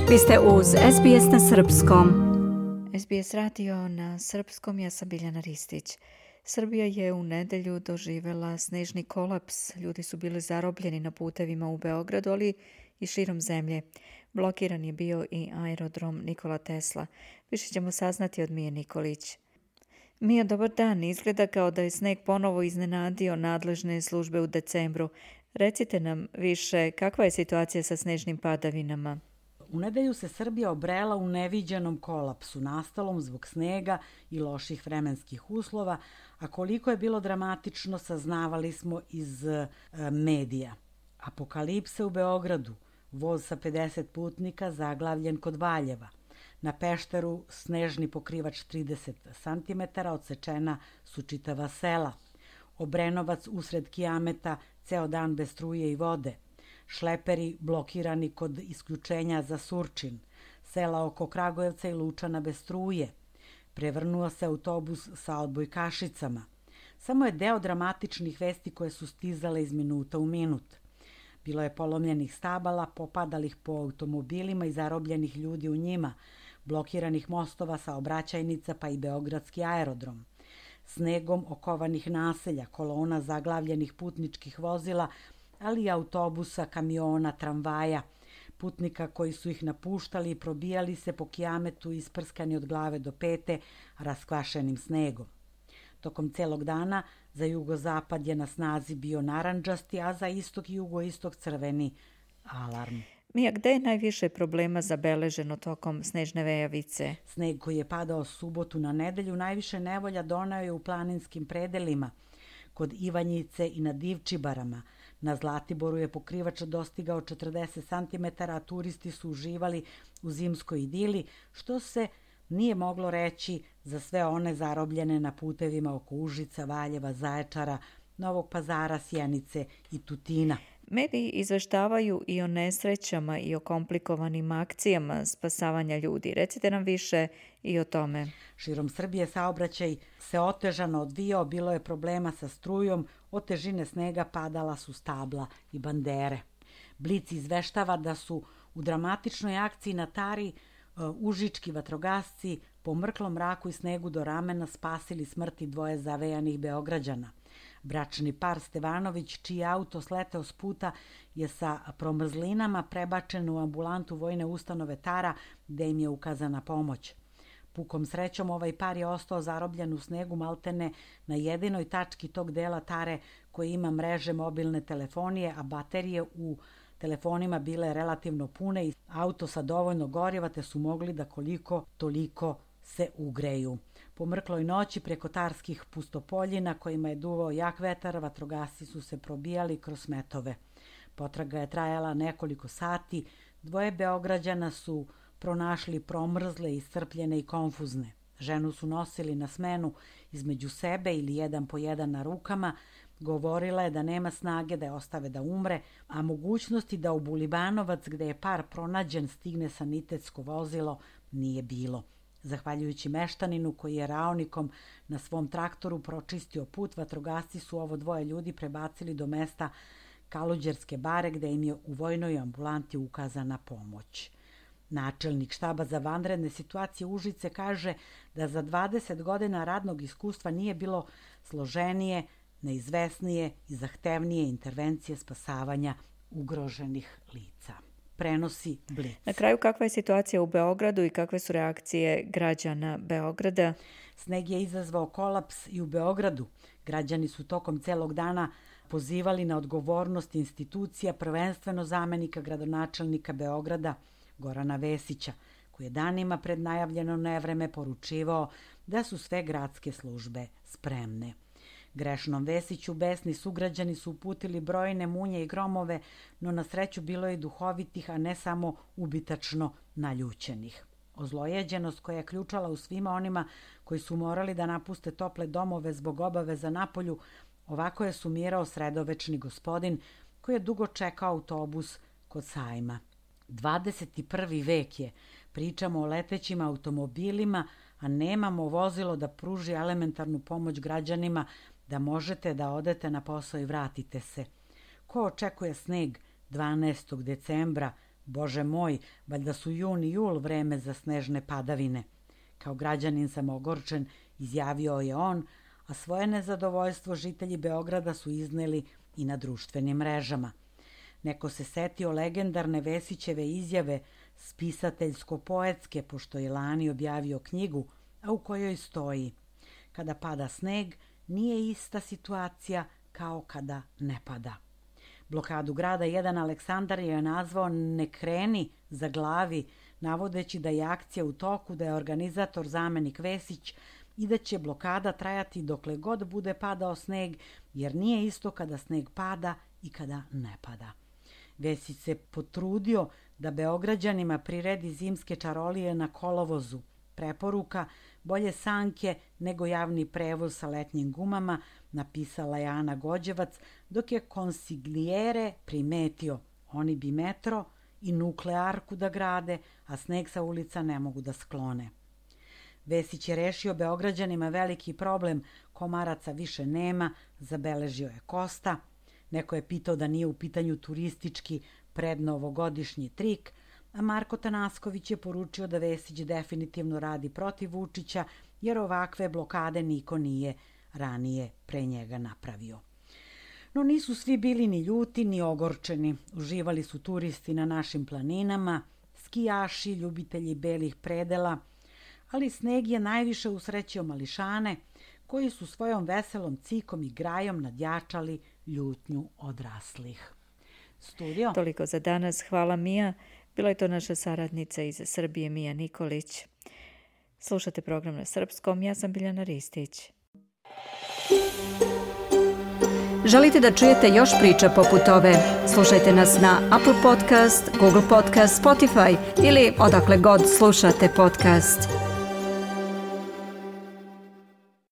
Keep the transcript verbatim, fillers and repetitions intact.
Vi ste uz S B S na srpskom. S B S radio na srpskom, ja sam Biljana Ristić. Srbija je u nedelju doživela snežni kolaps. Ljudi su bili zarobljeni na putevima u Beogradu, ali i širom zemlje. Blokiran je bio i aerodrom Nikola Tesla. Više ćemo saznati od Mije Nikolić. Mija, dobar dan. Izgleda kao da je sneg ponovo iznenadio nadležne službe u decembru. Recite nam više, kakva je situacija sa snežnim padavinama? U nedelju se Srbija obrela u neviđenom kolapsu, nastalom zbog snega i loših vremenskih uslova, a koliko je bilo dramatično saznavali smo iz e, medija. Apokalipse u Beogradu, voz sa pedeset putnika zaglavljen kod Valjeva. Na Pešteru snežni pokrivač trideset santimetara, odsečena su čitava sela. Obrenovac usred kijameta, ceo dan bez struje i vode. Šleperi blokirani kod isključenja za Surčin, sela oko Kragujevca i Lučana bez struje. Prevrnuo se autobus sa odbojkašicama. Samo je deo dramatičnih vesti koje su stizale iz minuta u minut. Bilo je polomljenih stabala, popadalih po automobilima i zarobljenih ljudi u njima, blokiranih mostova, saobraćajnica pa i beogradski aerodrom. Snegom okovanih naselja, kolona zaglavljenih putničkih vozila, ali i autobusa, kamiona, tramvaja, putnika koji su ih napuštali i probijali se po kijametu isprskani od glave do pete raskvašenim snegom. Tokom celog dana za jugozapad je na snazi bio narandžasti, a za istok i jugoistok crveni alarm. Mija, gde je najviše problema zabeleženo tokom snežne vejavice? Sneg koji je padao subotu na nedelju najviše nevolja doneo je u planinskim predelima, kod Ivanjice i na Divčibarama. Na Zlatiboru je pokrivač dostigao četrdeset santimetara, a turisti su uživali u zimskoj idili, što se nije moglo reći za sve one zarobljene na putevima oko Užica, Valjeva, Zaječara, Novog Pazara, Sjenice i Tutina. Mediji izveštavaju i o nesrećama i o komplikovanim akcijama spasavanja ljudi. Recite nam više i o tome. Širom Srbije saobraćaj se otežano odvijao, bilo je problema sa strujom, od težine snega padala su stabla i bandere. Blic izveštava da su u dramatičnoj akciji na Tari uh, užički vatrogasci po mrklom mraku i snegu do ramena spasili smrti dvoje zavejanih Beograđana. Bračni par Stevanović, čiji auto sleteo s puta, je sa promrzlinama prebačen u ambulantu vojne ustanove Tara, gde im je ukazana pomoć. Pukom srećom ovaj par je ostao zarobljen u snegu maltene na jedinoj tački tog dela Tare koji ima mreže mobilne telefonije, a baterije u telefonima bile relativno pune i auto sa dovoljno goriva, te su mogli da koliko toliko se ugreju. Po mrkloj noći preko tarskih pustopoljina kojima je duvao jak vetar, vatrogasci su se probijali kroz smetove. Potraga je trajala nekoliko sati, dvoje Beograđana su pronašli promrzle, iscrpljene i konfuzne. Ženu su nosili na smenu između sebe ili jedan po jedan na rukama. Govorila je da nema snage da je ostave da umre, a mogućnosti da u Bulibanovac, gde je par pronađen, stigne sanitetsko vozilo, nije bilo. Zahvaljujući meštaninu koji je raonikom na svom traktoru pročistio put, vatrogasci su ovo dvoje ljudi prebacili do mesta Kaluđerske bare, gde im je u vojnoj ambulanti ukazana pomoć. Načelnik štaba za vanredne situacije Užice kaže da za dvadeset godina radnog iskustva nije bilo složenije, neizvesnije i zahtevnije intervencije spasavanja ugroženih lica. Prenosi Blic. Na kraju, kakva je situacija u Beogradu i kakve su reakcije građana Beograda? Sneg je izazvao kolaps i u Beogradu. Građani su tokom celog dana pozivali na odgovornost institucija, prvenstveno zamenika gradonačelnika Beograda Gorana Vesića, koji je danima pred najavljeno nevreme poručivao da su sve gradske službe spremne. Grešnom Vesiću besni sugrađani su uputili brojne munje i gromove, no na sreću bilo je i duhovitih, a ne samo ubitačno naljućenih. Ozlojeđenost koja je ključala u svima onima koji su morali da napuste tople domove zbog obaveza napolju, ovako je sumirao sredovečni gospodin koji je dugo čekao autobus kod sajma. dvadeset prvi vek je, pričamo o letećim automobilima, a nemamo vozilo da pruži elementarnu pomoć građanima, da možete da odete na posao i vratite se. Ko očekuje sneg dvanaestog decembra Bože moj, valjda su jun i jul vreme za snežne padavine. Kao građanin sam ogorčen, izjavio je on, a svoje nezadovoljstvo žitelji Beograda su izneli i na društvenim mrežama. Neko se setio legendarne Vesićeve izjave, spisateljsko-poetske, pošto je lani objavio knjigu, a u kojoj stoji: kada pada sneg, nije ista situacija kao kada ne pada. Blokadu grada jedan Aleksandar je nazvao "ne kreni za glavi", navodeći da je akcija u toku, da je organizator zamenik Vesić i da će blokada trajati dokle god bude padao sneg, jer nije isto kada sneg pada i kada ne pada. Vesić se potrudio da Beograđanima priredi zimske čarolije na kolovozu. Preporuka: bolje sanke nego javni prevoz sa letnjim gumama, napisala je Ana Gođevac, dok je konsiglijere primetio: oni bi metro i nuklearku da grade, a sneg sa ulica ne mogu da sklone. Vesić je rešio Beograđanima veliki problem, komaraca više nema, zabeležio je Kosta. Neko je pitao da nije u pitanju turistički prednovogodišnji trik, a Marko Tanasković je poručio da Vesić definitivno radi protiv Vučića, jer ovakve blokade niko nije ranije pre njega napravio. No nisu svi bili ni ljuti ni ogorčeni. Uživali su turisti na našim planinama, skijaši, ljubitelji belih predela, ali sneg je najviše usrećio mališane, koji su svojom veselom cikom i grajom nadjačali ljutnju odraslih. Studio. Toliko za danas. Hvala, Mija. Bila je to naša saradnica iz Srbije, Mija Nikolić. Slušate program na srpskom. Ja sam Biljana Ristić. Želite da čujete još priča poput ove? Slušajte nas na Apple Podcast, Google Podcast, Spotify ili odakle god slušate podcast.